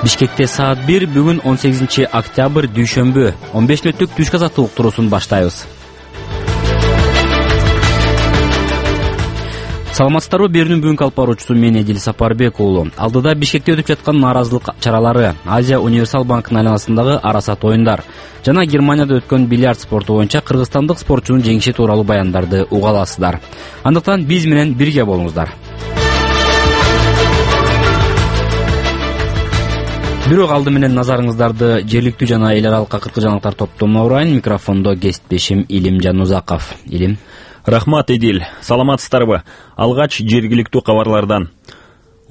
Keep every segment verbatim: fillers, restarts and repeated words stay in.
Бишкекте саат бир, бүгүн он сегизинчи октябрь дүйшөмбү, он беш мүнөттүк түшкү азаттык уктуруусун баштайбыз. Саламатсыздарбы, берүүнүн бүгүнкү алып баруучусу мен Эдил Сапарбек уулу. Алдыда Бишкекте өтүп жаткан нааразылык чаралары, Азия Универсал банкынын айланасындагы арасат оюндар жана Германияда өткөн бильярд спорту боюнча кыргызстандык спортчунун жеңиши тууралуу баяндарды уга аласыздар. Андыктан биз менен бирге болуңуздар. Бирок алды менен назарыңыздарды жергиликтүү жана эл аралык акыркы жаңылыктар топтомуна урайын. Микрофондо кесиптешим Илим Жанузаков. Илим. Рахмат, Эдил. Саламатсыздарбы? Алгач жергиликтүү кабарлардан.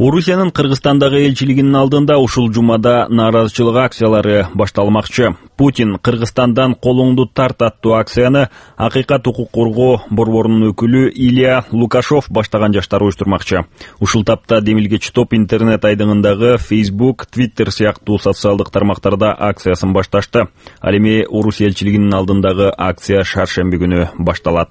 Орусиянын Кыргызстандагы элчилигинин алдында ушул жумада нааразычылык акциялары башталмакчы. Путин Кыргызстандан колуңду тарт аттуу акцияны Акыйкат укук коргоо борборунун өкүлү Илья Лукашов баштаган жаштар уюштурмакчы. Ушул тапта демилгечи топ интернет айдыңындагы Facebook, Twitter сыяктуу социалдык тармактарда акциясын башташты. Ал эми Орусия элчилигинин алдындагы акция шаршемби күнү башталат.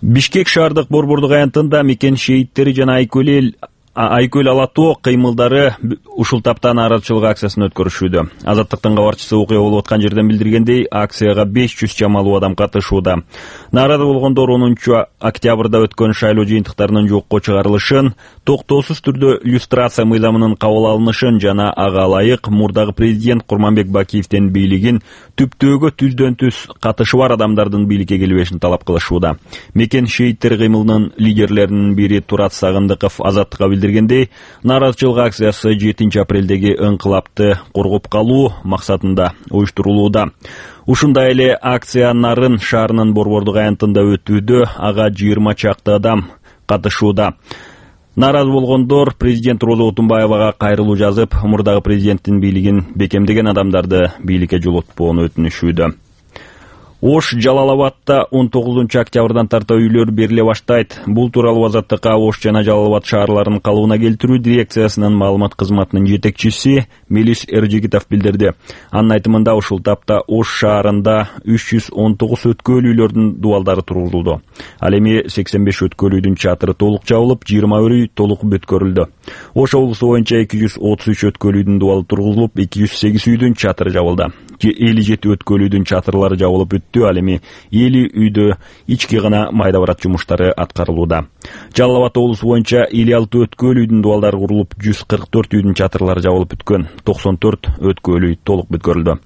Бишкек шаардык борбордук аянтында мекен шейиттери жана Айкөл Айкөл Алатоо кыймылдары ушул таптан нааразычылык акциясын өткөрүшүүдө. Азаттыктын кабарчысы окуя болуп аткан жерден билдиргендей, акцияга беш жүз чамалуу адам катышууда. Нааразы болгондор онунчу октябрда өткөн шайлоо жыйынтыктарынын жокко чыгарылышын, токтоосуз түрдө люстрация мыйзамынын кабыл алынышын жана ага ылайык мурдагы президент Курманбек Бакиевдин бийлигин түптөөгө түздөн түз катышы бар адамдардын бийликке келбешин талап кылышууда. Мекен шейиттери кыймылынын лидерлеринин бири Турат Сагындыков Азаттыкка билдиргендей, нааразычылык акциясы жетинчи апрелдеги ыңкылапты коргоп калуу максатында уюштурулууда. Ушундай эле акция Нарын шаарынын борбордук аянтында өтүүдө, ага жыйырма чакты адам катышууда. Нааразы болгондор президент Роза Отунбаевага кайрылуу жазып, мурдагы президенттин бийлигин бекемдеген адамдарды бийликке жолотпоону өтүнүшүүдө. Ош Жалалабадта он тогузунчу октябрдан тарта үйлөр бериле баштайт. Бул тууралуу Азаттыкка Ош жана Жалалабад шаарларынын калыбына келтирүү дирекциясынын маалымат кызматынын жетекчиси Мелис Эржигитов билдирди. Анын айтымында ушул тапта Ош шаарында үч жүз он тогуз өткөл үйлөрдүн дубалдары тургузулду. Ал эми сексен беш өткөл үйдүн чатыры толук жабылып, жыйырма бир үй толук бүткөрүлдү. Ош облусу боюнча эки жүз отуз үч өткөл үйдүн дубалы тургузулуп, эки жүз сегиз үйдүн чатыры жабылды. элүү жети өткөл үйдүн чатырлары жабылып бүттү. Ал эми элүү үйдө ички гана майда барат жумуштары аткарылууда. Жалал Абад облусу боюнча элүү алты өткөл үйдүн дубалдары курулуп, жүз кырк төрт үйдүн чатырлары жабылып бүткөн, токсон төрт өткөл үй толук бүткөрүлдү.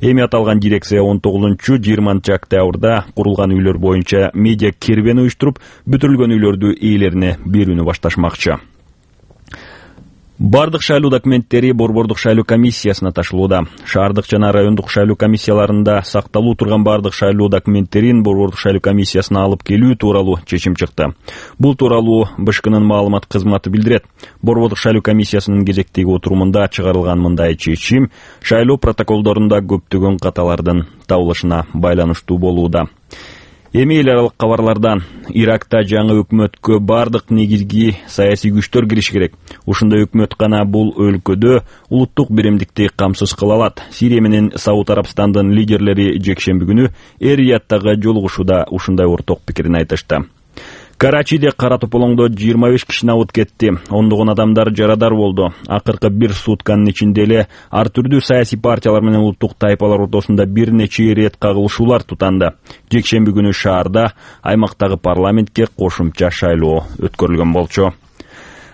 Эми аталган дирекция он тогузунчу жыйырманчы октябрда курулган үйлөр боюнча медиа кербен уюштуруп, бүтүрүлгөн үйлөрдү ээлерине берүүнү башташмакчы. Бардык шайлоо документтери борбордук шайлоо комиссиясына ташылууда. Шаардык жана райондук шайлоо комиссияларында сакталуу турган бардык шайлоо документтерин борбордук шайлоо комиссиясына алып келүү тууралуу чечим чыкты. Бул тууралуу БШКнын маалымат кызматы билдирет. Борбордук шайлоо комиссиясынын кезектеги отурумунда чыгарылган мындай чечим шайлоо протоколдорунда көптөгөн каталардын табылышына байланыштуу болууда. Эми эл аралык кабарлардан. Иракта жаңы өкмөткө бардык негизги саясий күчтөр кириши керек. Ушундай өкмөт гана бул өлкөдө улуттук биримдикти камсыз кыла алат. Сирия менен Сауд Арабстандын лидерлери жекшемби күнү Эр-Риядтагы жолугушууда ушундай орток пикирин айтышты. Карачиде кара тополоңдо жыйырма беш киши абыт кетти. Ондогон адамдар жарадар болду. Акыркы бир сутканын ичинде эле ар түрдүү саясий партиялар менен улуттук тайпалар ортосунда бир нече рет кагылышуулар тутанды. Жекшемби күнү шаарда аймактагы парламентке кошумча шайлоо өткөрүлгөн болчу.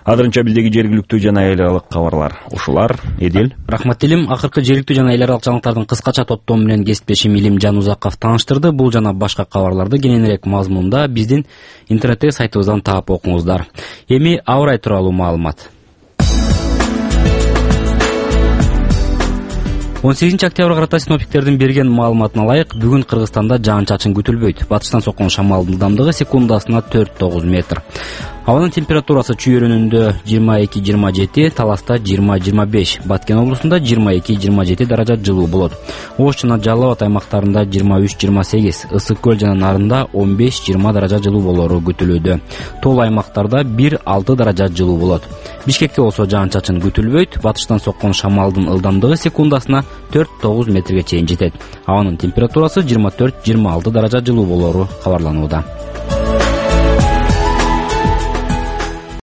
Азырынча биздеги жергиликтүү жана эл аралык кабарлар ушулар. Эдил. Рахмат Илим. Акыркы жергиликтүү жана эл аралык жаңылыктардын кыскача топтому менен кесиптешим Илим Жанузаков тааныштырды. Бул жана башка кабарларды кененирээк мазмунда биздин интернеттеги сайтыбыздан таап окуңуздар. Эми аба ырайы тууралуу маалымат. он сегизинчи октябрга карата синоптиктердин берген маалыматына ылайык, бүгүн Кыргызстанда жаан-чачын күтүлбөйт. Батыштан соккон шамалдын ылдамдыгы секундасына төрт тогуз метр. Абанын температурасы Чүй районунда жыйырма эки жыйырма жети, Таласта жыйырма жыйырма беш, Баткен облусунда жыйырма эки жыйырма жети даража жылуу болот. Ош жана Жалал Абад аймактарында жыйырма үч жыйырма сегиз, Ысык көл жана Нарында он беш жыйырма даража жылуу болору күтүлүүдө. Тол аймактарда бир алты даража жылуу болот. Бишкекте болсо жаан-чачын күтүлбөйт. Батыштан соккон шамалдын ылдамдыгы секундасына төрт тогуз метрге чейин жетет. Абанын температурасы жыйырма төрт жыйырма алты даража жылуу болору кабарланууда.